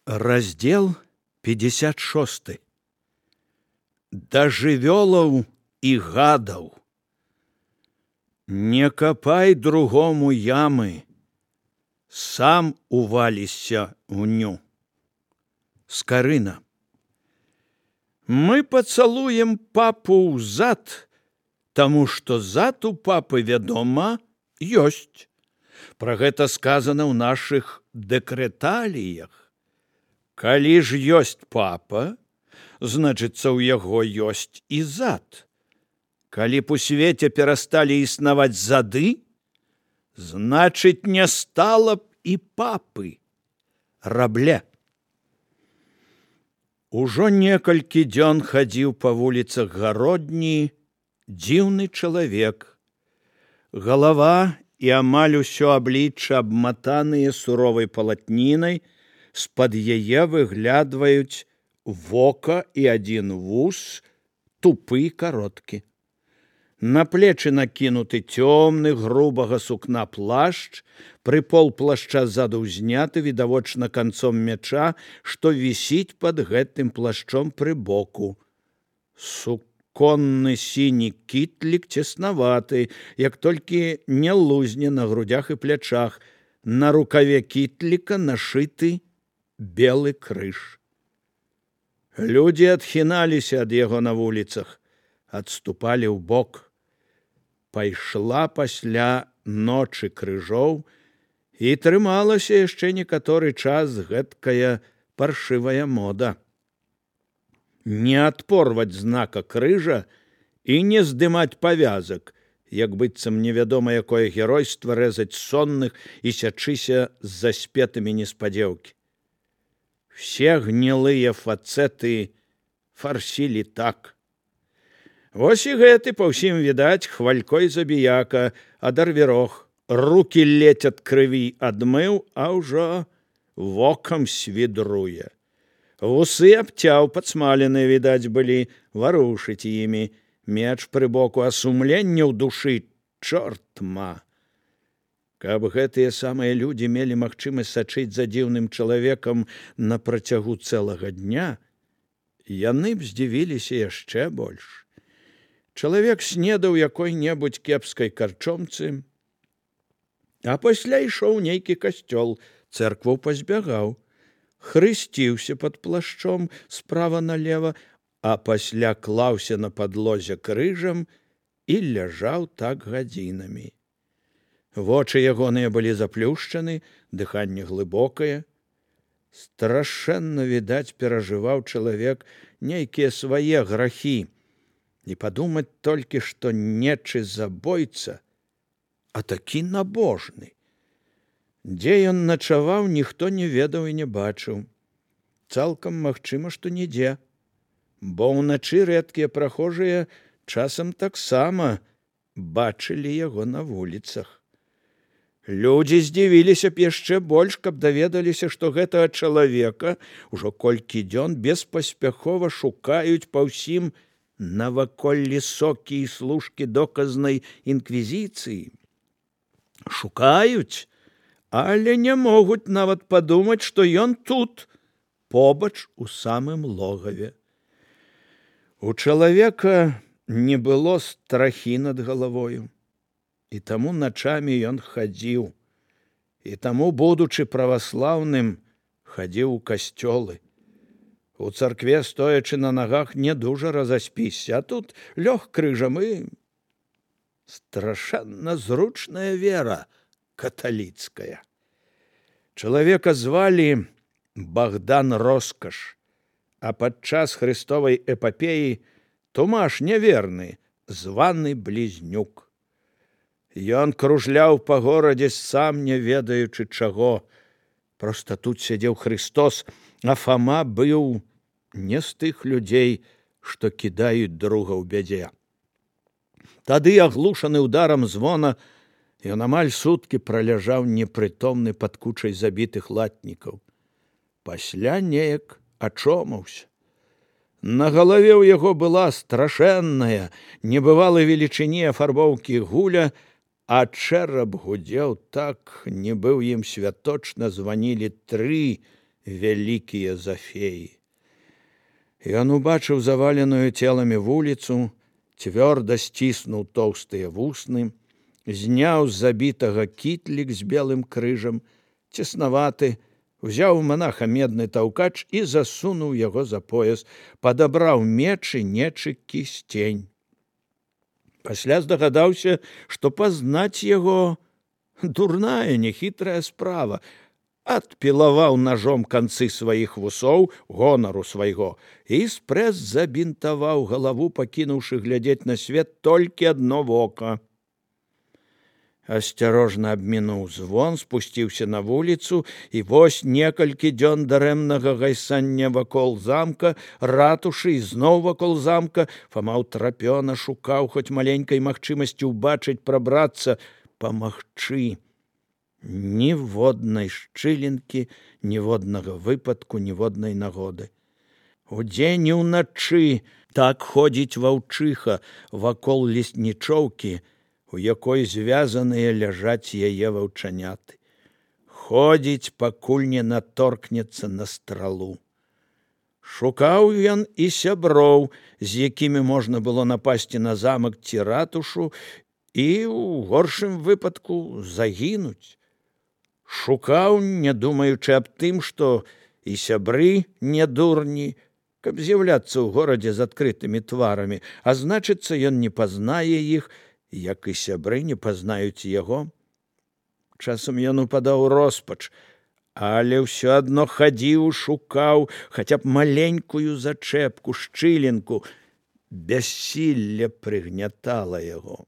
Раздел 56. Да жывёлаў і гадаў. Не капай другому ямы, сам увалішся ў ню. Скарына. Мы пацалуем папу ў зад, таму што зад у папы, вядома, ёсць. Пра гэта сказана ў нашых дэкрэталіях. Калі ж ёсць папа, значыцца, ў яго ёсць і зад. Калі б у свеце перасталі існаваць зады, значыць, не стала б і папы. Рабле. Ужо некалькі дзён хадзіў па вуліцах гародні дзіўны чалавек. Галава і амаль усё аблічча абматаныя суровай палатнінай, з-пад яе выглядваюць вока і адзін вус, тупы і кароткі. На плечы накінуты цёмны грубага сукна плашч, прыпол плашча ззаду ўзняты, відавочна канцом мяча, што вісіць пад гэтым плашчом пры боку. Суконны сіні кітлік цеснаваты, як толькі не лузне на грудях і плячах. На рукаве кітліка нашыты белы крыж. Людзі адхіналіся ад яго на вуліцах, адступалі ў бок. Пайшла пасля ночы крыжоў і трымалася яшчэ некаторы час гэткая паршывая мода. Не адпорваць знака крыжа і не здымаць павязак, як быццам невядома якое геройства рэзаць сонных і сячыся з заспетымі неспадзеўкі. Все гнілыя фацэты фарсілі так. Вось і гэты па ўсім відаць хвалькой забіяка, адарвірох, рукі ледзь ад крыві адмыў, а ўжо вокам свідруе. Вусы абцяў, падсмаленыя, відаць, былі, варушыць імі. Меч пры боку, а сумленне ў душы, чорт ма. Каб гэтыя самыя людзі мелі магчымасць сачыць за дзіўным чалавекам на працягу цэлага дня, яны б здзівіліся яшчэ больш. Чалавек снедаў якой-небудзь кепскай карчомцы, а пасля ішоў нейкі касцёл, цэркву пазбягаў, хрысціўся пад плашчом справа налева, а пасля клаўся на падлозе крыжам і ляжаў так гадзінамі. Вочы ягоныя былі заплюшчаны, дыханне глыбокае. Страшэнна, відаць, перажываў чалавек нейкія свае грахі. Не падумаць толькі, што нечы забойца, а такі набожны. Дзе ён начаваў, ніхто не ведаў і не бачыў. Цалкам магчыма, што нідзе, бо ўначы рэдкія прахожыя часам таксама бачылі яго на вуліцах. Людзі здзівіліся б яшчэ больш, каб даведаліся, што гэтага чалавека ўжо колькі дзён беспаспяхова шукаюць па ўсім наваколлі сокі і служкі доказнай інквізіцыі. Шукаюць, але не могуць нават падумаць, што ён тут, побач у самым логаве. У чалавека не было страхі над галавою. І таму начамі ён хадзіў, і таму, будучы праваслаўным, хадзіў у касцёлы. У царкве, стоячы на нагах, не дужа разаспіся, а тут лёг крыжам і страшэнна зручная вера каталіцкая. Чалавека звалі Богдан Роскаш, а падчас хрыстовай эпапеі Тумаш няверны, званы Блізнюк. Ён кружляў па горадзе, сам не ведаючы чаго. Проста тут сядзеў Христос, а Фама быў не з тых людзей, што кідаюць друга ў бядзе. Тады, аглушаны ударам звона, ён амаль суткі праляжаў непрытомны пад кучай забітых латнікаў. Пасля неяк ачомаўся. На галаве ў яго была страшэнная, небывалай велічыні афарбоўкі гуля, а чэрап гудзеў так, нібы ў ім святочна званілі 3 вялікія за феі. Ён убачыў заваленую целамі вуліцу, цвёрда сціснуў тоўстыя вусны, зняў з забітага кітлік з белым крыжам, цеснаваты, узяў у манаха медны таўкач і засунуў яго за пояс, падабраў меч і нечы кісцень. Пасля здагадаўся, што пазнаць яго дурная, нехітрая справа. Адпілаваў ножом канцы сваіх вусоў, гонару свайго, і спрэс забінтаваў галаву, пакінуўшы глядзець на свет толькі адно вока. Асцярожна абмінуў звон, спусціўся на вуліцу, і вось некалькі дзён дарэмнага гайсання вакол замка, ратушы і зноў вакол замка, Фама ўтрапёна шукаў хоць маленькай магчымасці ўбачыць, прабрацца, памагчы. Ніводнай шчылінкі, ніводнага выпадку, ніводнай нагоды. Удзень і ўначы так ходзіць ваўчыха вакол леснічоўкі, у якой звязаныя ляжаць яе ваўчаняты. Ходзіць, пакуль не наторкнецца на стралу. Шукаў ён і сяброў, з якімі можна было напасці на замак ці ратушу і, у горшым выпадку, загінуць. Шукаў, не думаючы аб тым, што і сябры не дурні, каб з'яўляцца ў горадзе з адкрытымі тварамі, а значыцца, ён не пазнае іх, як і сябры не пазнаюць яго. Часам ён упадаў у роспач, але ўсё адно хадзіў, шукаў хаця б маленькую зачэпку, шчылінку. Бяссілле прыгнятала яго.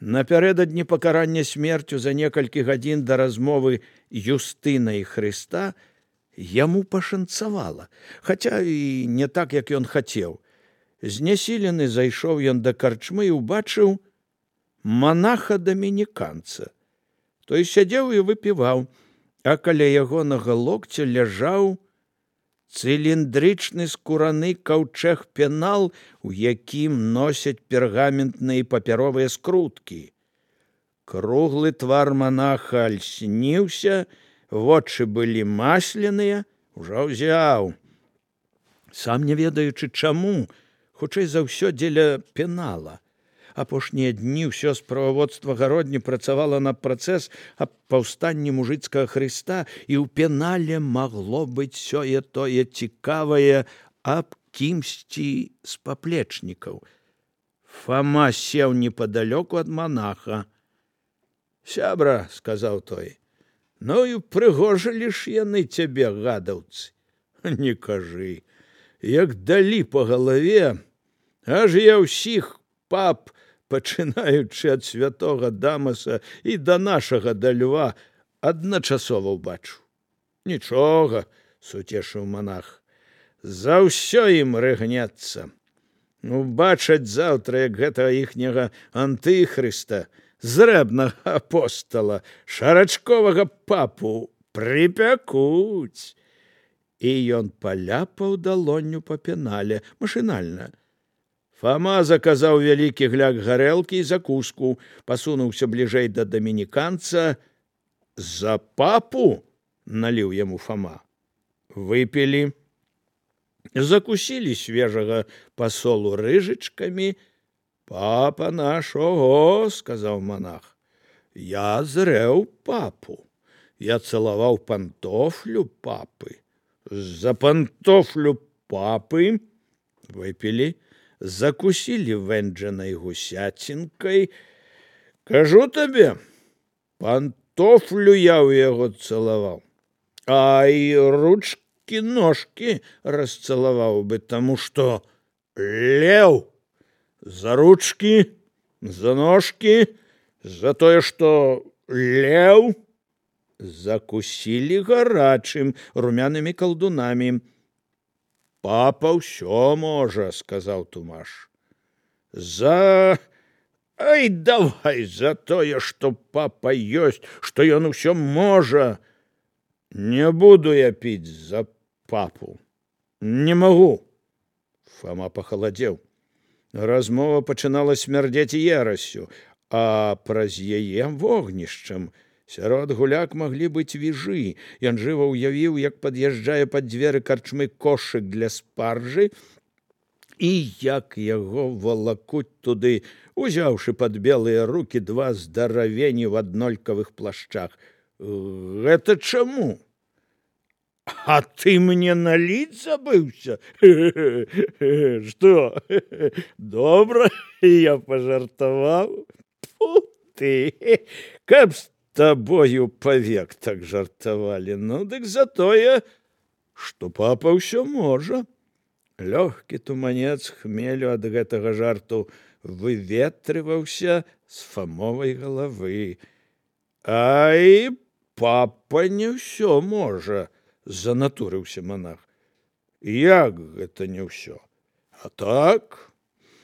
Напярэдадні пакарання смерцю за некалькі гадзін да размовы Юстына і Хрыста яму пашанцавала, хаця і не так, як ён хацеў. Знясілены зайшоў ён да карчмы і ўбачыў манаха-дамініканца. Той сядзеў і выпіваў, а каля ягонага локця ляжаў цыліндрычны скураны каўчэг-пенал, у якім носяць пергаментныя папяровыя скруткі. Круглы твар манаха альсніўся, вочы былі масленыя, ужо ўзяў. Сам не ведаючы чаму, хутчэй за ўсё дзеля пенала. Апошнія дні ўсё справаводства гародні працавала на працэс аб паўстанні мужыцкага Хрыста, і ў пенале магло быць сёе-тое цікавае аб кімсьці з паплечнікаў. Фама сеў непадалёку ад манаха. «Сябра», — сказаў той, — «ну і прыгожылі ж яны цябе, гадаўцы». «Не кажы, як далі па галаве, аж я ўсіх пап, пачынаючы ад святога Дамаса і да нашага да Льва, адначасова ўбачу». «Нічога», — суцешыў манах, — «за ўсё ім рыгнецца. Убачаць заўтра, як гэтага іхняга антыхрыста, зрэбнага апостала, шарачковага папу прыпякуць». І ён паляпаў далонню па пенале, машынальна. Фама заказаў вялікі гляк гарэлкі і закуску, пасунуўся бліжэй да дамініканца. «За папу?» — наліў яму Фама. Выпілі. Закусілі свежага пасолу рыжычкамі. «Папа наш, ого!» — сказаў манах. «Я зрэў папу. Я цалаваў пантофлю папы. За пантофлю папы». Выпілі. Закусілі вэнджанай гусяцінкай. «Кажу табе, пантофлю я ў яго цалаваў, а і ручкі-ножкі расцалаваў бы, таму што леў за ручкі, за ножкі, за тое, што леў». Закусілі гарачым, румянымі калдунамі. «Папа ўсё можа», — сказаў Тумаш. Ай, давай за тое, што папа ёсць, што ён усё можа. Не буду я піць за папу. Не магу». Фама пахаладзеў. Размова пачынала смярдзець ерасцю, а праз яе вогнішчам. Сярод гуляк маглі быць віжы. Ён жыва ўявіў, як пад'язджае пад дзверы карчмы кошык для спаржы, і як яго валакуць туды, узяўшы пад белыя рукі два здаравені ў аднолькавых плашчах. Гэта чаму? А ты мне наліць забыўся? Што? Добра, я пажартаваў. Фу ты, каб з табою павек так жартавалі. Ну, дык затое, што папа ўсё можа. Лёгкі туманец хмелю ад гэтага жарту выветрываўся з Фамовай галавы. Ай, папа не ўсё можа, занатурыўся манах. Як гэта не ўсё? А так,